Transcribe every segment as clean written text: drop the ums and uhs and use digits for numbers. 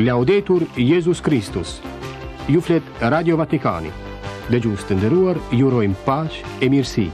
Laudetur Jezus Kristus. Ju flet Radio Vatikani. Dëgjues të nderuar, ju urojmë paqe e mirësi.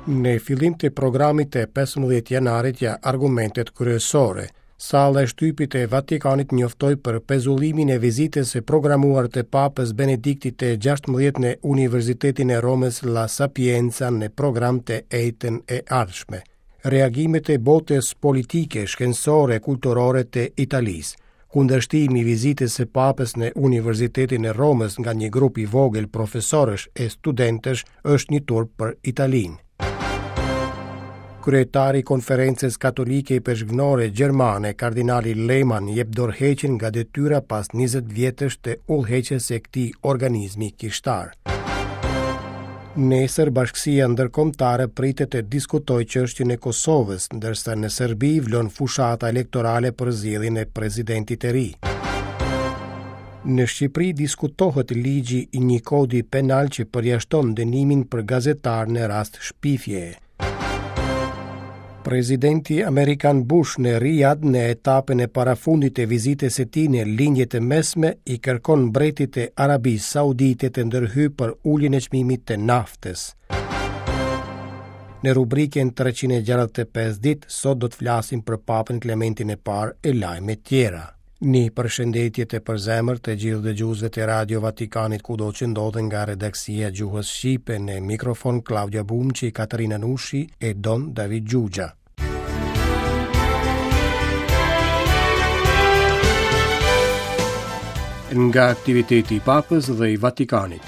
Në fillim të programit të 15 janarit ja argumentet kryesore. Salla e shtypit e Vatikanit njoftoi për pezullimin e vizitës së programuar të Papës Benediktit të 16 në Universitetin e Romës La Sapienza në program të enjten e ardhshme. Reagimet e botës politike, shkencore e kulturore të Italisë. Kundërshtimi i vizitës së Papës në Universitetin e Romës nga një grup i vogël profesorësh e studentësh është një turp për Italinë. Kryetari i Konferencës Katolike Ipeshkvnore Gjermane, kardinali Lehmann, jep dorëheqjen nga detyra pas 20 vjetësh të udhëheqjes së këtij organizmi kishtar. Nesër bashkësia ndërkombëtare pritet të diskutojë çështjen e Kosovës, ndërsa në Serbi vlon fushata elektorale për zgjedhjen e presidentit të ri. Në Shqipëri diskutohet ligji i një kodi penal që përjashton dënimin për gazetarë në rast shpifjeje. Presidenti amerikan Bush në Riyadh në etapën e parafundit të vizitës së tij në Lindje të Mesme i kërkon mbretit të Arabisë Saudite të ndërhyjë për uljen e çmimit të naftës. Në rubrikën 365 ditë sot do të flasim për Papën Klementin e Parë e lajme tjera. Një përshëndetje të përzemërt të gjithë dëgjuesve të Radio Vatikanit kudo që ndodhen nga redaksia e gjuhës shqipe në mikrofon Klaudia Bumçi, Katerina Nushi e Don David Xhuxha. Nga aktiviteti i Papës dhe i Vatikanit.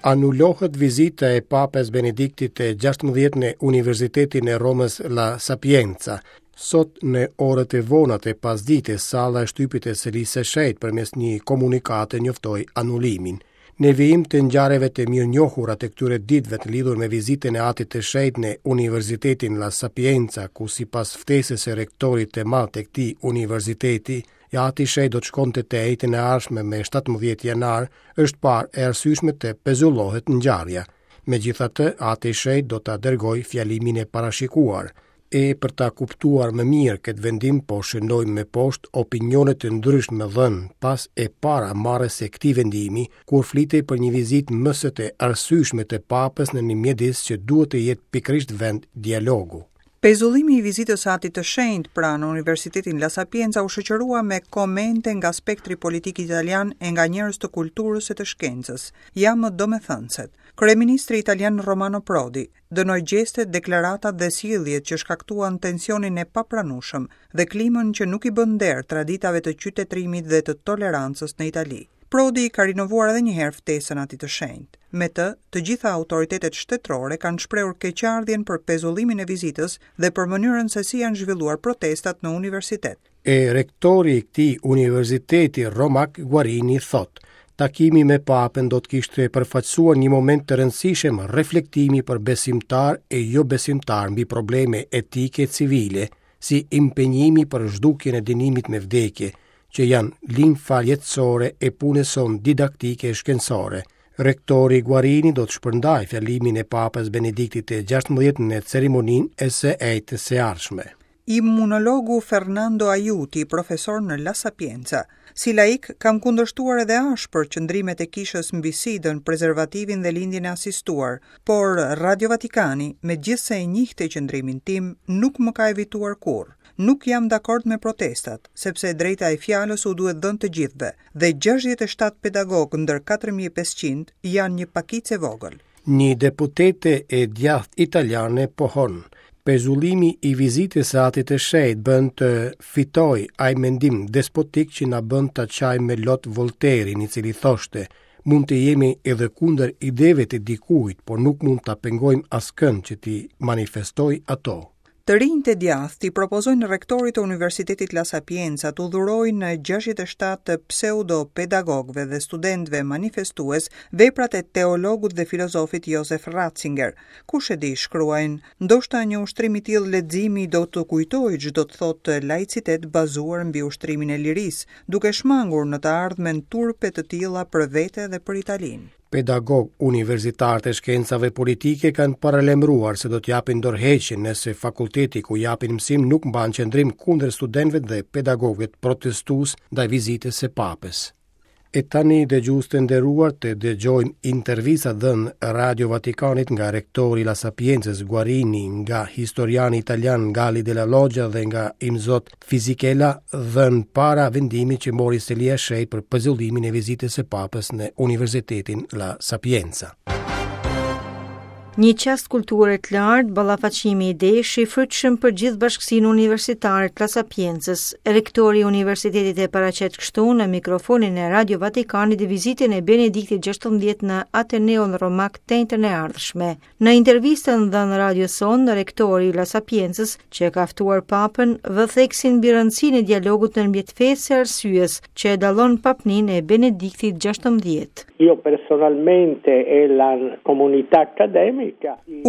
Anulohet vizita e Papës Benediktit të 16 në Universitetin e Romës La Sapienza. Sot në orët e vona të pasdites, salla e shtypit e Selisë së Shenjtë përmes një komunikate njoftoi anulimin. Në vijim të ngjarjeve të mirënjohura të këtyre ditëve të lidhur me vizitën e Atit të Shenjtë në Universitetin La Sapienza, ku sipas ftesës së rektorit të madh të këtij universiteti, I Ati i Shenjtë do të shkonte të enjten e ardhshme me 17 janar, është parë e arsyeshme të pezullohet ngjarja. Megjithatë, Ati i Shenjtë do ta dërgojë fjalimin e parashikuar. E për ta kuptuar më mirë këtë vendim, po shënojmë më poshtë opinione të ndryshme dhënë pas e para marrjes së këtij vendimi, kur flitej për një vizitë më se të arsyeshme të Papës në një mjedis që duhet të jetë pikërisht vend dialogu. Pezullimi i vizitës së Atit të Shenjtë pra në Universitetin La Sapienza u shoqërua me komente nga spektri politik italian e nga njerëz të kulturës e të shkencës. Ja më domethënëset. Kryeministri italian Romano Prodi dënoi gjestet, deklaratat dhe sjelljet që shkaktuan tensionin e papranueshëm dhe klimën që nuk i bën nder traditave të qytetërimit dhe të tolerancës në Itali. Prodi ka rinovuar edhe një herë ftesën Atit të Shenjtë. Me të, të gjitha autoritetet shtetërore kanë shprehur keqardhjen për pezullimin e vizitës dhe për mënyrën se si janë zhvilluar protestat në universitet. E rektori i këtij universiteti romak Guarini thotë, Takimi me Papën do të kishte përfaqësuar një moment të rëndësishëm reflektimi për besimtarë e jobesimtarë mbi probleme etike civile, si impenjimi për zhdukjen e dënimit me vdekje, që janë limfa jetësore e punës sonë didaktike e shkencore. Rektori Guarini do të shpërndajë fjalimin e Papës Benediktit të 16 në ceremoninë e së enjtes së ardhshme. Imunologu Fernando Aiuti, profesor në La Sapienza, Si laik, kam kundërshtuar edhe ashpër qëndrimet e kishës mbi SIDA-n, prezervativin dhe lindjen e asistuar, por Radio Vatikani, megjithëse e njihte qëndrimin tim, nuk më ka evituar kurrë. Nuk jam dakord me protestat, sepse e drejta e fjalës u duhet dhënë të gjithëve, dhe 67 pedagogë ndër 4500 janë një pakicë e vogël. Një deputete e djathtë italiane pohon, Pezullimi i vizitës së Atit të Shenjtë bën të fitojë ai mendim despotik që na bën ta qajmë me lot Volterin, i cili thoshte, mund të jemi edhe kundër ideve të dikujt, por nuk mund ta pengojmë askënd që t'i manifestojë ato. Të rinjtë e djathtë i propozojnë rektorit të Universitetit La Sapienza t'u dhurojnë 67 pseudo-pedagogëve dhe studentëve manifestues veprat e teologut dhe filozofit Josef Ratzinger. Kush e di, shkruajnë, ndoshta një ushtrim i tillë leximi do të kujtojë ç'do të thotë laicitet bazuar mbi ushtrimin e lirisë, duke shmangur në të ardhmen turpe të tilla për vete dhe për Italinë. Pedagogë universitarë të shkencave politike kanë paralajmëruar se do të japin dorëheqjen nëse fakulteti ku japin mësim nuk mban qëndrim kundër studentëve dhe pedagogëve protestues ndaj vizitës së Papës. E tani dëgjues të nderuar të dëgjojmë intervistat dhënë Radio Vatikanit nga rektori i La Sapiencës Guarini, nga historiani italian Galli della Loggia dhe nga Imzot Fisichella dhënë para vendimit që mori Selia e Shenjtë për pezullimin e vizitës së Papës në Universitetin La Sapienza. Një çast kulture të lartë, ballafaqimi idesh i frytshëm për gjithë bashkësinë universitare të La Sapiencës. Rektori i universitetit e paraqet kështu në mikrofonin e Radio Vatikanit vizitën e Benediktit XVI në Ateneun Romak të enjten e ardhshme. Në intervistën dhënë radios sonë, rektori i La Sapiencës, që e ka ftuar Papën, vë theksin mbi rëndësinë e dialogut ndërmjet fesë e arsyes, që e dallon papninë e Benediktit XVI. Io personalmente e la comunità accademica.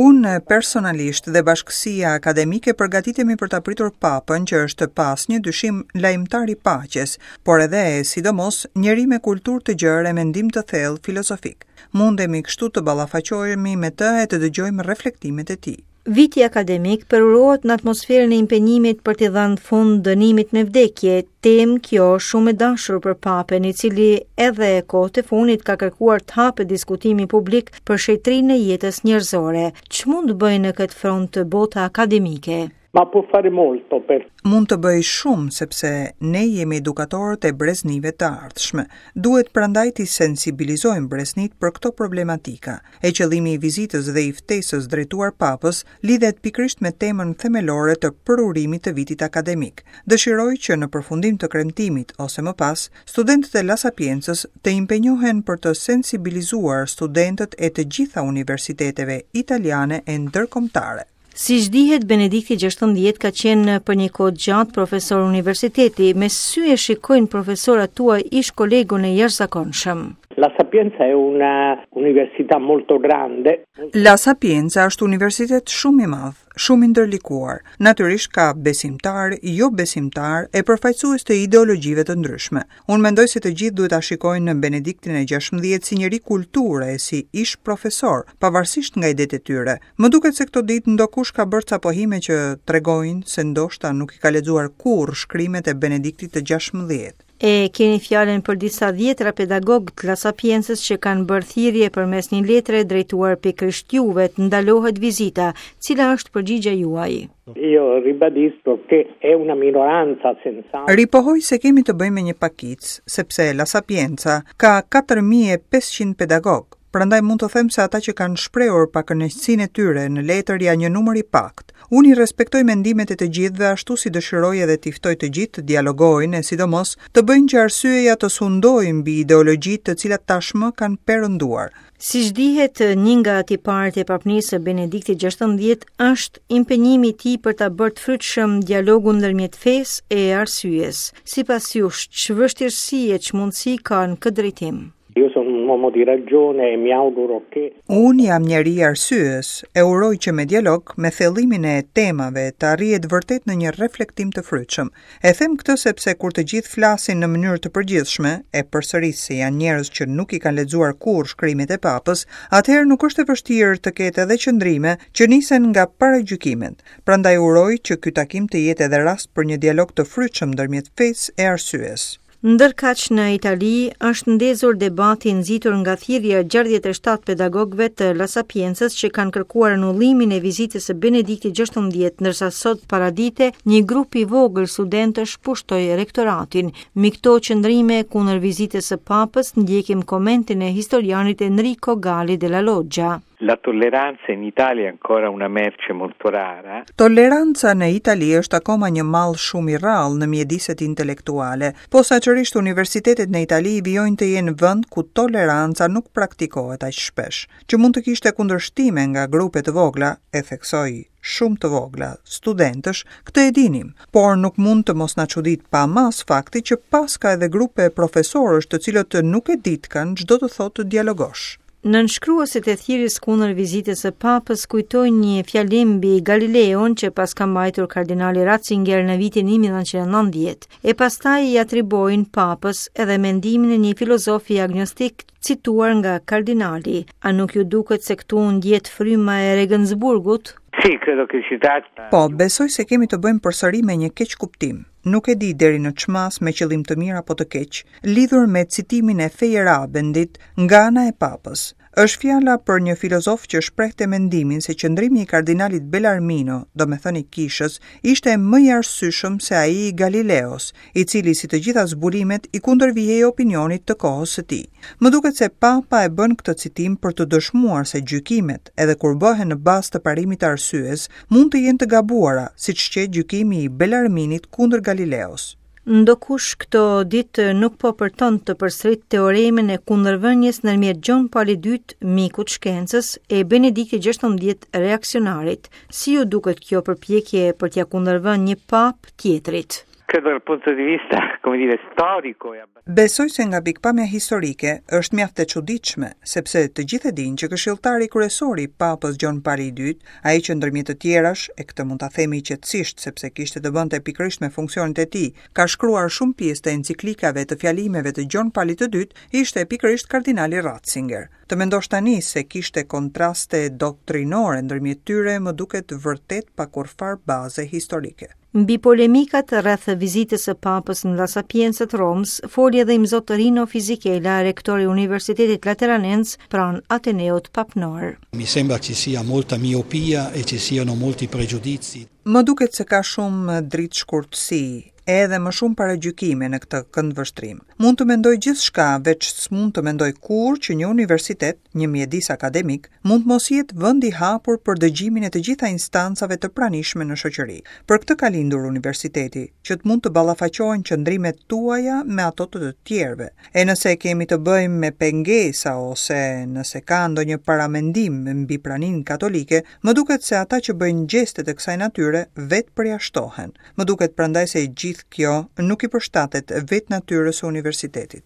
Unë personalisht dhe bashkësia akademike përgatitemi për ta pritur Papën që është pa asnjë dyshim lajmëtar i paqes, por edhe e sidomos njeri me kulturë të gjerë e mendim të thellë filozofik. Mundemi kështu të ballafaqohemi me të e të dëgjojmë reflektimet e tij. Viti akademik përurohet në atmosferën e impenjimit për t'i dhënë fund dënimit me vdekje, temë kjo shumë e dashur për Papën, i cili edhe kohët e fundit ka kërkuar të hapet diskutimi publik për shenjtërinë e jetës njerëzore. Ç'mund të bëjë në këtë front bota akademike? Ma può fare molto per. Mund të bëjë shumë sepse ne jemi edukatorët e breznive të ardhshme. Duhet prandaj t'i sensibilizojmë breznitë për këto problematika. E qëllimi i vizitës dhe i ftesës drejtuar Papës lidhet pikërisht me temën themelore të përurimit të vitit akademik. Dëshiroj që në përfundim të kremtimit ose më pas, studentët e La Sapiencës të impenjohen për të sensibilizuar studentët e të gjitha universiteteve italiane e ndërkombëtare. Siç dihet, Benedikti XVI ka qenë për një kohë të gjatë profesor universiteti. Me ç'sy e shikojnë profesorët tuaj ish kolegun e jashtëzakonshëm. La Sapienza è una università molto grande. La Sapienza është universitet shumë i madh, shumë i ndërlikuar. Natyrisht ka besimtarë, jo besimtarë e përfaqësues të ideologjive të ndryshme. Unë mendoj se të gjithë duhet ta shikojnë Benediktin e XVI si njeri kulture e si ish profesor, pavarësisht nga idetë e tyre. Më duket se këto ditë ndokush ka bërë ca pohime që tregojnë se ndoshta nuk i ka lexuar kurrë shkrimet e Benediktit të XVI. E keni fjalën për disa dhjetëra pedagogë të La Sapiencës që kanë bërë thirrje përmes një letre drejtuar pikërisht juve të ndalohet vizita. Cila është përgjigja juaj? Io ribadisco che è una minoranza senz'altro. Ripohoj se kemi të bëjmë me një pakicë, sepse La Sapienza ka 4500 pedagogë, prandaj mund të them se ata që kanë shprehur pakënaqësinë e tyre në letër janë një numër i paktë. Unë i respektoj mendimet e të gjithëve ashtu si dëshiroj edhe t'i ftoj të gjithë të dialogojnë e sidomos të bëjnë që arsyeja të sundojë mbi ideologjitë të cilat tashmë kanë perënduar. Siç dihet, një nga tiparet e papnisë së Benediktit XVI është impenjimi i tij për ta bërë të frytshëm dialogun ndërmjet fesë e arsyes. Sipas jush, ç'vështirësi e ç'mundësi ka në këtë drejtim? Io sono un uomo di ragione e mi auguro che Unë jam njeri i arsyes, e uroj që me dialog, me thellimin e temave, të arrihet vërtet në një reflektim të frytshëm. E them këtë sepse kur të gjithë flasin në mënyrë të përgjithshme, e përsëris se janë njerëz që nuk i kanë lexuar kurrë shkrimet e Papës, atëherë nuk është e vështirë të ketë edhe qëndrime që nisen nga paragjykimet. Prandaj uroj që ky takim të jetë edhe rast për një dialog të frytshëm ndërmjet fesë e arsyes. Ndërkaq në Itali është ndezur debati i nxitur nga thirrja e 67 pedagogëve të La Sapiencës që kanë kërkuar anullimin e vizitës së Benediktit XVI, ndërsa sot paradite një grup i vogël studentësh pushtoi rektoratin. Mbi këto qëndrime kundër vizitës së Papës ndjekim komentin e historianit Enrico Galli della Loggia. La tolleranza in Italia è ancora una merce molto rara. Toleranca në Itali është akoma një mall shumë i rrallë në mjediset intelektuale. Posaçërisht universitetet në Itali vijojnë të jenë vend ku toleranca nuk praktikohet aq shpesh. Që mund të kishte kundërshtime nga grupe të vogla, e theksoj, shumë të vogla, studentësh, këtë e dinim, por nuk mund të mos na çuditë pa masë fakti që paska edhe grupe profesorësh të cilët nuk e ditkan ç'do të thotë të dialogosh. Nënshkruesit e thirrjes kundër vizitës së Papës kujtojnë një fjalim mbi Galileon që paska mbajtur kardinali Ratzinger në vitin 1990, e pastaj i atribuojnë Papës edhe mendimin e një filozofi agnostik cituar nga kardinali. A nuk ju duket se këtu ndjehet fryma e Regensburgut? Sì, credo che si tratta. Po, besoj se kemi të bëjmë përsëri me një keqkuptim. Nuk e di deri në ç'masë me qëllim të mirë apo të keq, lidhur me citimin e Feyerabendit nga ana e Papës. Është fjala për një filozof që shprehte mendimin se qëndrimi i kardinalit Bellarmino, domethënë i kishës, ishte më i arsyeshëm se ai i Galileos, i cili si të gjitha zbulimet i kundërvihej opinionit të kohës së tij. Më duket se Papa e bën këtë citim për të dëshmuar se gjykimet, edhe kur bëhen në bazë të parimit të arsyes, mund të jenë të gabuara, siç qe gjykimi i Bellarminit kundër Galileos. Ndokush këto ditë nuk po përton të përsërit teoremën e kundërvënies ndërmjet Gjon Palit II, mikut shkencës, e Benediktit XVI reaksionarit. Si ju duket kjo përpjekje për t'ia kundërvënë një papë tjetrit? Credo dal punto di vista, come dire, storico e Besoj se nga pikëpamja historike është mjaft e çuditshme, sepse të gjithë e dinë që këshilltari kryesor i Papës Gjon Pali i Dytë, ai që ndërmjet të tjerash, e këtë mund ta themi qetësisht sepse kishte të bënte pikërisht me funksionet e tij, ka shkruar shumë pjesë të enciklikave të fjalimeve të Gjon Palit të Dytë, ishte pikërisht kardinali Ratzinger. Të mendosh tani se kishte kontraste doktrinore ndërmjet tyre më duket vërtet pa kurrfarë baze historike. Mbi polemikat rreth vizitës së Papës në La Sapienza të Romës, foli edhe Imzot Rino Fisichella, rektor i Universitetit Lateranenc pranë Ateneut Papnor. Mi sembra ci sia molta miopia e ci siano molti pregiudizi. Më duket se ka shumë dritëshkurtësi, edhe më shumë paragjykime në këtë këndvështrim. Mund të mendoj gjithçka, veç s'mund të mendoj kurrë që një universitet, një mjedis akademik, mund të mos jetë vend i hapur për dëgjimin e të gjitha instancave të pranishme në shoqëri. Për këtë ka lindur universiteti, që të mund të ballafaqohen qëndrimet tuaja me ato të të tjerëve. E nëse kemi të bëjmë me pengesa ose nëse ka ndonjë paramendim mbi praninë katolike, më duket se ata që bëjnë gjeste të kësaj natyre vetë përjashtohen. Më duket prandaj se e gjithë kjo nuk i përshtatet vetë natyrës së universitetit.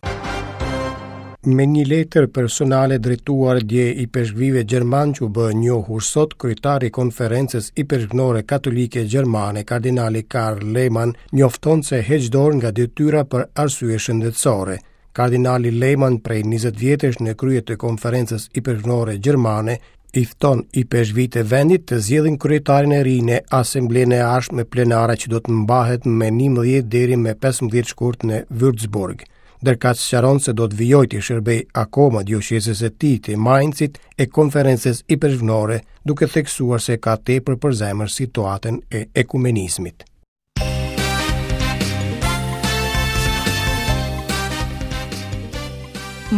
Me një letër personale drejtuar dje ipeshkvijve gjermanë që u bë e njohur sot, kryetari i Konferencës Ipeshkvnore Katolike Gjermane, kardinali Karl Lehmann, njofton se heq dorë nga detyra për arsye shëndetësore. Kardinali Lehmann prej 20 vjetësh në krye të Konferencës Ipeshkvnore Gjermane, i fton ipeshkvijtë e vendit të zgjedhin kryetarin e ri në asamblenë e ardhshme plenare që do të mbahet me 11 deri me 15 shkurt në Würzburg. Ndërkaq sqaron se do të vijojë t'i shërbejë akoma dioqezës së tij të Mainzit e konferencës ipeshkvnore, duke theksuar se ka tepër për zemër situatën e ekumenizmit.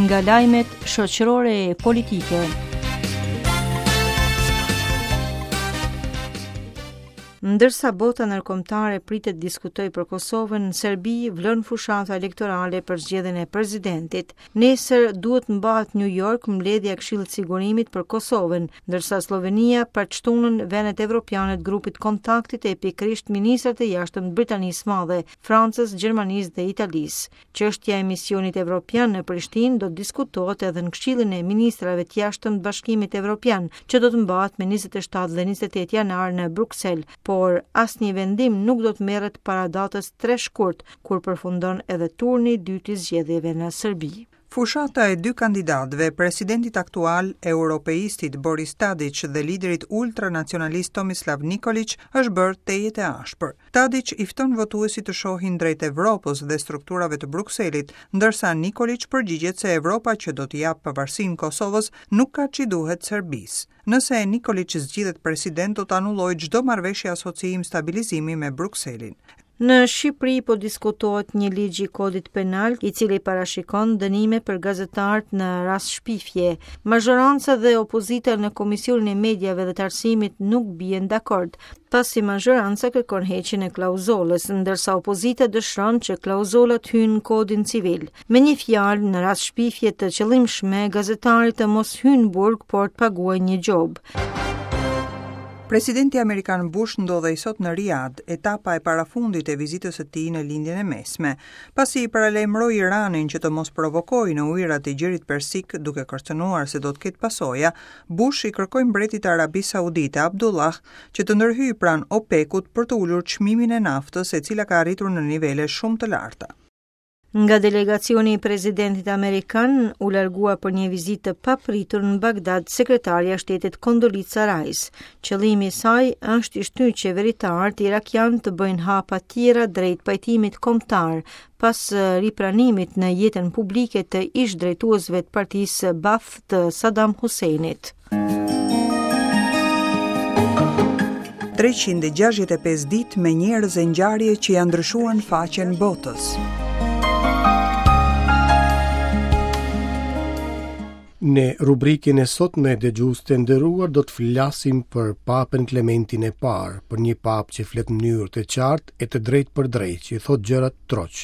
Nga lajmet shoqërore e politike. Ndërsa bota ndërkombëtare pritet të diskutojë për Kosovën, në Serbi vlon fushata elektorale për zgjedhjen e presidentit. Nesër duhet të mbahet në New York mbledhja e Këshillit të Sigurimit për Kosovën, ndërsa Sllovenia pret të shtunën vendet evropiane të grupit të kontaktit e pikërisht ministrat e jashtëm të Britanisë së Madhe, Francës, Gjermanisë dhe Italisë. Çështja e misionit evropian në Prishtinë do të diskutohet edhe në Këshillin e Ministrave të Jashtëm të Bashkimit Evropian, që do të mbahet me 27 dhe 28 janar në Bruksel, por asnjë vendim nuk do të merret para datës 3 shkurt, kur përfundon edhe turni i dytë i zgjedhjeve në Serbi. Fushata e dy kandidatëve, presidentit aktual, europeistit Boris Tadiç dhe liderit ultranacionalist Tomislav Nikoliç, është bërë tejet e ashpër. Tadiç i fton votuesit të shohin drejt Evropës dhe strukturave të Brukselit, ndërsa Nikoliç përgjigjet se Evropa që do t'i japë pavarësinë Kosovës nuk ka ç'i duhet Serbisë. Nëse Nikoliç zgjidhet president do të anullojë çdo marrëveshje asociim stabilizimi me Brukselin. Në Shqipëri po diskutohet një ligj i kodit penal i cili parashikon dënime për gazetarët në rast shpifje. Mazhoranca dhe opozita në Komisionin e Mediave dhe të Arsimit nuk bien dakord, pasi mazhoranca kërkon heqjen e klauzolës, ndërsa opozita dëshiron që klauzola të hyjë në kodin civil. Me një fjalë, në rast shpifje të qëllimshme, gazetari të mos hyjë në burg, por të paguajë një gjobë. Presidenti amerikan Bush ndodhej sot në Riad, etapa e parafundit e vizitës së tij në Lindjen e Mesme, pasi paralajmëroi Iranin që të mos provokojë në ujërat e Gjirit Persik duke kërcënuar se do të ketë pasoja, Bush i kërkoi mbretit të Arabisë Saudite, Abdullah, që të ndërhyjë pranë OPEC-ut për të ulur çmimin e naftës, e cila ka arritur në nivele shumë të larta. Nga delegacioni i presidentit amerikan u largua për një vizitë të papritur në Bagdad sekretarja e shtetit Condoleezza Rice. Qëllimi i saj është t'i shtyjë qeveritarët irakianë të bëjnë hapa tjera drejt pajtimit kombëtar pas ripranimit në jetën publike të ish drejtuesve të partisë Baath të Saddam Husseinit. 365 ditë me njerëz e ngjarje që ia ndryshuan faqen botës. Në rubrikën e sotme dëgjues të nderuar do të flasim për Papën Klementin e Parë, për një papë që flet në mënyrë të qartë e të drejtpërdrejtë, që i thotë gjërat troç.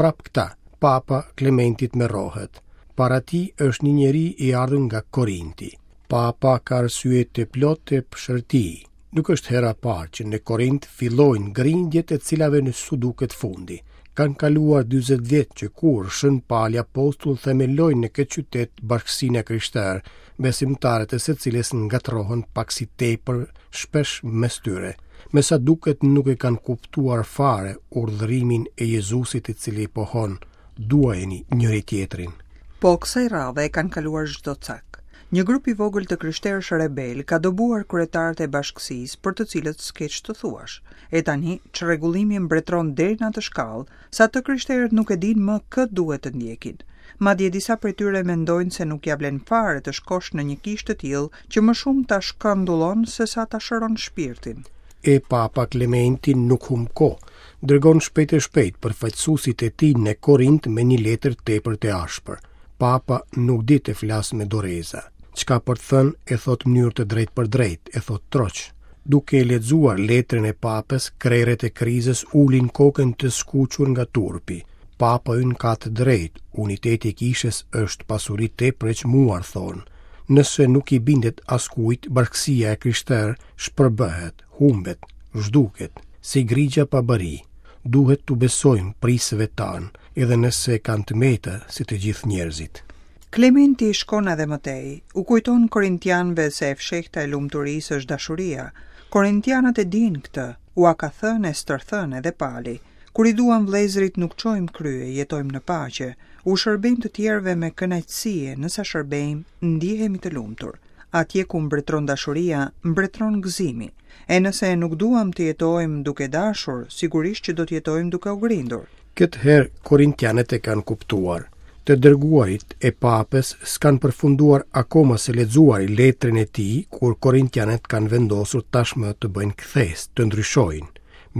Prapë këta, Papa Klementi tmerrohet. Para tij është një njeri i ardhur nga Korinti. Papa ka arsye të plotë të psherëtijë. Nuk është hera e parë që në Korint fillojnë grindjet e të cilave s'u duket fundi. Kanë kaluar 40 vjet që kur Shën Pali Apostull themeloi në këtë qytet bashkësinë e krishterë, besimtarët e së cilës ngatërrohen pak si tepër shpesh mes tyre. Me sa duket nuk e kanë kuptuar fare urdhërimin e Jezusit i cili pohon, duajeni njëri-tjetrin. Po kësaj radhe e kanë kaluar çdo cak. Një grup i vogël të krishterësh rebelë ka dëbuar kryetarët e bashkësisë për të cilët s'ke ç'të thuash. E tani, çrregullimi mbretëron deri në atë shkallë, sa të krishterët nuk e dinë më kë duhet të ndjekin. Madje disa prej tyre mendojnë se nuk ia vlen fare të shkosh në një kishë të tillë që më shumë ta shkandullon sesa ta shëron shpirtin. E Papa Klementi nuk humb kohë, dërgon shpejt e shpejt përfaqësuesit e tij në Korint me një letër tepër të ashpër. Papa nuk di të flasë me doreza. Ç'ka për të thënë e thotë mënyrë të drejtpërdrejtë, e thotë troç. Duke e lexuar letrën e Papës, krerët e krizës ulin kokën të skuqur nga turpi. Papa ynë ka të drejtë, uniteti i kishës është pasuri tepër e çmuar, thonë. Nëse nuk i bindet askujt, bashkësia e krishterë shpërbëhet, humbet, zhduket, si grigja pa bari. Duhet t'u besojmë prijësve tanë, edhe nëse kanë të meta si të gjithë njerëzit. Klementi shkon edhe më tej. U kujton korintianëve se e fshehta e lumturisë është dashuria. Korintianët e dinë këtë, ua ka thënë e stërthënë edhe Pali. Kur i duam vëllezërit nuk çojmë krye, jetojmë në paqe, u shërbejmë të tjerëve me kënaqësi e nësa shërbejmë, ndihemi të lumtur. Atje ku mbretëron dashuria, mbretëron gëzimi. E nëse nuk duam të jetojmë duke dashur, sigurisht që do të jetojmë duke u grindur. Këtë herë korintianët e kanë kuptuar. Të dërguarit e papës s'kanë përfunduar akoma së lexuari letrën e tij, kur korintianët kanë vendosur tashmë të bëjnë kthesë, të ndryshojnë.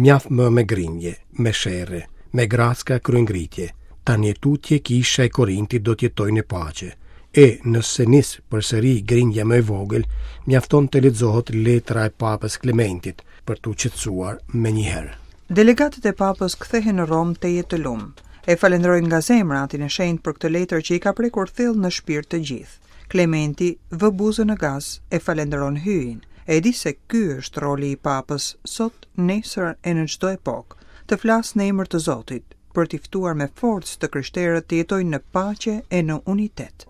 Mjaft më me grindje, me sherre, me gracka kryengritje. Tani e tutje kisha e Korintit do të jetojë në paqe. E, nëse nis përsëri grindja më e vogël, mjafton të lexohet letra e Papës Klementit për t'u qetësuar menjëherë. Delegatët e Papës kthehen në Romë tejet të lum. E falënderojnë nga zemra Atin e Shenjtë për këtë letër që i ka prekur thellë në shpirt të gjithë. Klementi vë buzën në gaz, e falënderon Hyjin. E di se ky është roli i Papës, sot, nesër e në çdo epokë, të flasë në emër të Zotit, për t'i ftuar me forcë të krishterët të jetojnë në paqe e në unitet.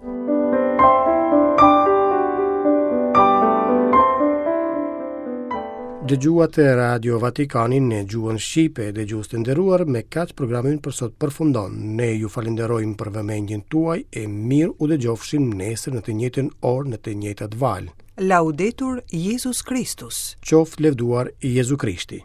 Dëgjuat Radio Vatikanin në gjuhën shqipe, dëgjues të nderuar, me kaq programi ynë për sot përfundon. Ne ju falënderojmë për vëmendjen tuaj e mirë u dëgjofshim nesër në të njëjtën orë në të njëjtat valë. Laudetur Jezus Kristus. Qoftë lëvduar Jezu Krishti.